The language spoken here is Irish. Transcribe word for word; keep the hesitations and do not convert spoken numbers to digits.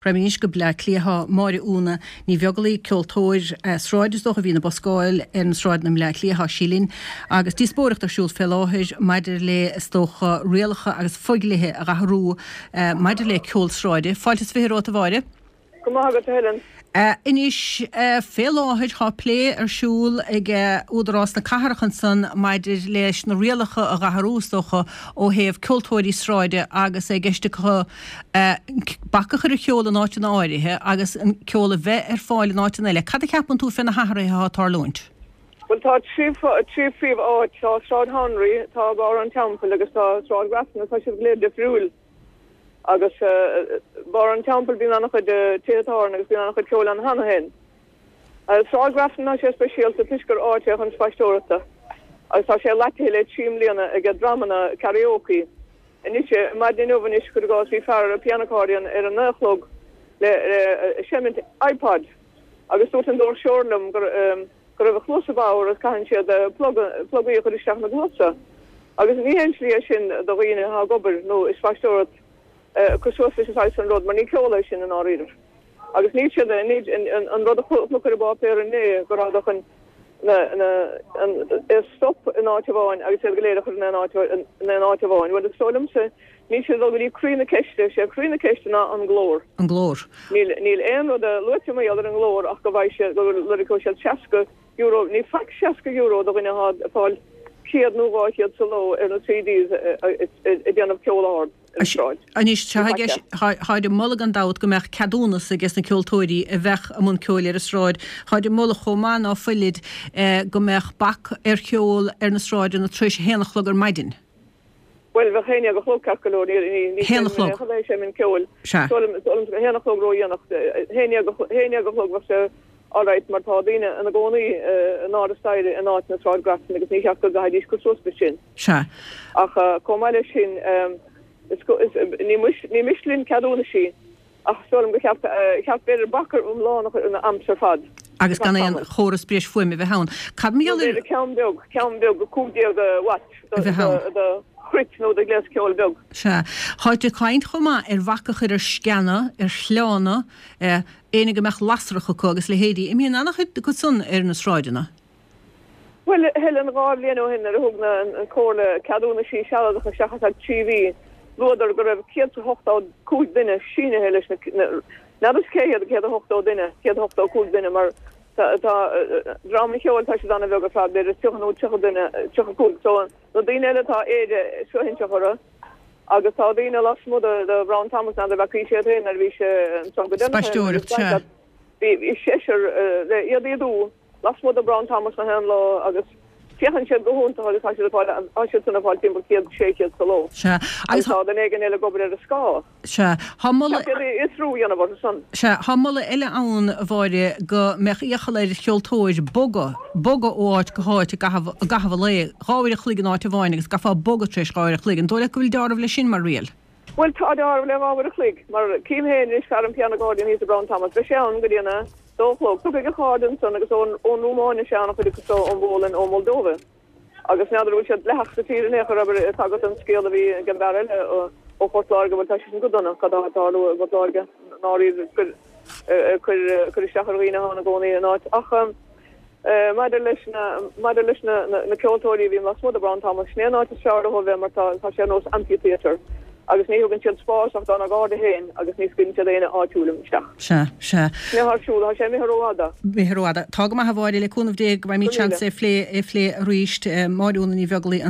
Raghaimid anois go Bleá Cliath tá Máire Úna Ní Bheaglaoich, ceoltóir sráide is dócha a bhíonn ag buscáil ar na sráideanna i mBleá Cliath, tá sí linn agus díospóireacht ar siúl fé láthair maidir le is dócha rialacha agus fodhlíthe a dh'athrú maidir le ceol sráide. Fáilte is fiche romhat a Mháire. Go maith agat a Helen. Anois, fé láthair tá plé ar siúl ag Údarás na Cathrach ansan maidir leis na rialacha a dh'athrú, is dócha, ó thaobh ceoltóirí sráide agus é i gceist acu bac a chur ar cheol in áiteanna áirithe agus an ceol a bheith ar fáil in áiteanna eile. Cad a cheapann tú fé na hathruithe atá ag tarlúint? Bhuel, tá trí trí phríomh-áit, tá Sráid Henry, tá Barr an Teampaill agus tá Sráid Grafton agus tá siad go léir difriúil. Agus Barr an Teampaill bíonn an-chuid tithe tábhairne agus bíonn an-chuid ceoil ann cheana féin. Sráid Grafton tá sé speisialta toisc gur áit é chun spaisteoireachta agus tá sé laitithe le trí mbliana ag dreamanna karaoke. Anois, maidin inniu anois, cuir i gcás, bhí fear ar piano accordion ar a naoi a chlog le seimint iPod agus dúirt an doirseoir liom go go raibh a chluasa bodhar agus caitheann siad plugaí a chur isteach ina gcluasa. Agus ní haon tslí é sin do dhaoine atá ag obair nó ag spaisteoireacht cur suas leis an saghas san rud mar ní ceol é sin i ndáiríribh. Agus níl siad, an rud a chonac ar an bpáipéar inné go rabhadar chun na, na, an, é stop in áit amháin agus iad go léir a chur in aon áit, in aon áit amháin. Bhuel is dóigh liomsa níl siad ag dul go dtí croí na ceiste, sé croí na ceiste ná an glór. An glór. Níl, níl aon rud luaite mar gheall ar an nglór ach go bhfaighidh siad, go lorgóidh siad seasca euro, ní faic seasca euro do dhuine atá ag fáil céad nó dhá chéad sa ló ar na CDs ag déanamh ceol ard ar an tsráid. Anois, tá i gceist, táid ag moladh gan dabht go mbeadh ceadúnas ages na ceoltóirí a bheadh i mbun ceoil ar an sráid. Táid ag moladh chomh maith ná fuilid go mbeadh bac ar cheol ar na sráideanna tar éis a haon a chlog ar maidin. Bhuel, bheadh haon déag a chlog ceart go leor, ní, ní, Haon a chlog. Ní sheinnim ceoil. Sea. Haon a chlog ródhéanach. Haon déag a chlog bheadh sé alright mar tá daoine ina gcónaí in airde staighre in áit na Sráid Grafton agus ní cheart go gcaithfidís cur suas leis sin. Sea. Ach chomh maith leis sin, ní miste linn ceadúnaisí ach is dóigh liom gur cheart, cheart b'fhéidir bac iomlán a chur ar na amps ar fad. Agus gan aon chóras breis fuaime a bheith ann. Cad mar Nó gheall ar. b'fhéidir ceann beag, ceann beag cúig déag watt A bheith ann. do chruit nó do ghléas ceoil beag. Sea. Táid ag caint chomh maith ar bhac a chur ar sceana, ar shleánna, éinne go mbeadh lasrach acu agus leithéidí. Imíonn an-chuid acu san ar na sráideanna. Bhuel, Helen, dhá bhliain ó shin nuair a thug na an Comhairle ceadúnaisí sealadacha isteach ar feadh trí mhí, luadar go raibh céad is ochtó cúig duine sínithe leis na, n'fheadar cé hiad an céad is ochtó duine, céad is ochtó cúig duine mar tá, tá, dream an cheoil tá siad an-bheag ar fad, b'fhéidir tríocha nó tríocha duine, tríocha cúig, so na daoine eile tá Éire suaithinseach orthu agus tá daoine lasmuigh de, de Brown Thomas, n'fheadar an bhfacaís iad féin nuair a bhí sé ansan go deireanach, Spaisteoireacht, sea. bhí, bhí seisear le iad a ídiú. Lasmuigh de Brown Thomas na haon lá agus féachann siad go hiontach agus tá siad ag fáil, tá siad san ag fáil timpeall céad, sé chéad sa ló. Sea, Agus agus tá duine éigin eile ag obair ar a scáth. Sea, tá moladh. Ceart iad a fhiosrú a dhéanamh orthu san. Sea, tá moladh eile ann, a Mháire, go mbeadh iachall ar cheoltóir bogadh, bogadh ó áit go háit i gcaitheamh, i gcaitheamh an lae, dhá uair a chloig in áit amháin agus go gcaithfeá bogadh tar éis dhá uair a chloig. An dóigh leat go bhfuil deáramh leis sin mar riail? Bhuel, tá deáramh le dhá uair a chloig, mar cím féin anois fear an piano accordion thíos i Brown Thomas, beidh sé ann go dtí an a dó a chlog. Tiocfaidh a chairde ansan agus ón Rúmáin is ea an-chuid acu so, ón bPólainn, ón Moldova. Agus n'fheadar an bhfuil siad dleathach sa tír in aon chor, abair, tá agat an scéal a bhí ag an bhfear eile ó Phort Láirge, bhuel tá sé sin go dona, cad atá ag tarlú i bPort Láirge, ndáiríre, cuir, cuir, cuir isteach ar dhaoine atá ina gcónaí in áit. Ach. Maidir leis na maidir leis na na ceoltóirí a bhíonn lasmuigh de Brown Thomas, sin é an áit is fearr leo a bheith mar tá tá sé ar nós amphitheatre agus ní thugann siad spás ach dá n-garda féin agus ní scaoileann siad éinne áitiúil isteach. Sea, sea. Sin é atá ar siúl, tá sé imithe rófhada. Imithe rófhada. Tá go maith a Mháire, le cúnamh Dé go Go bhfaighimid míle. seans é a phlé é a phlé arís. Máire Úna Ní Bheaglaoich, an.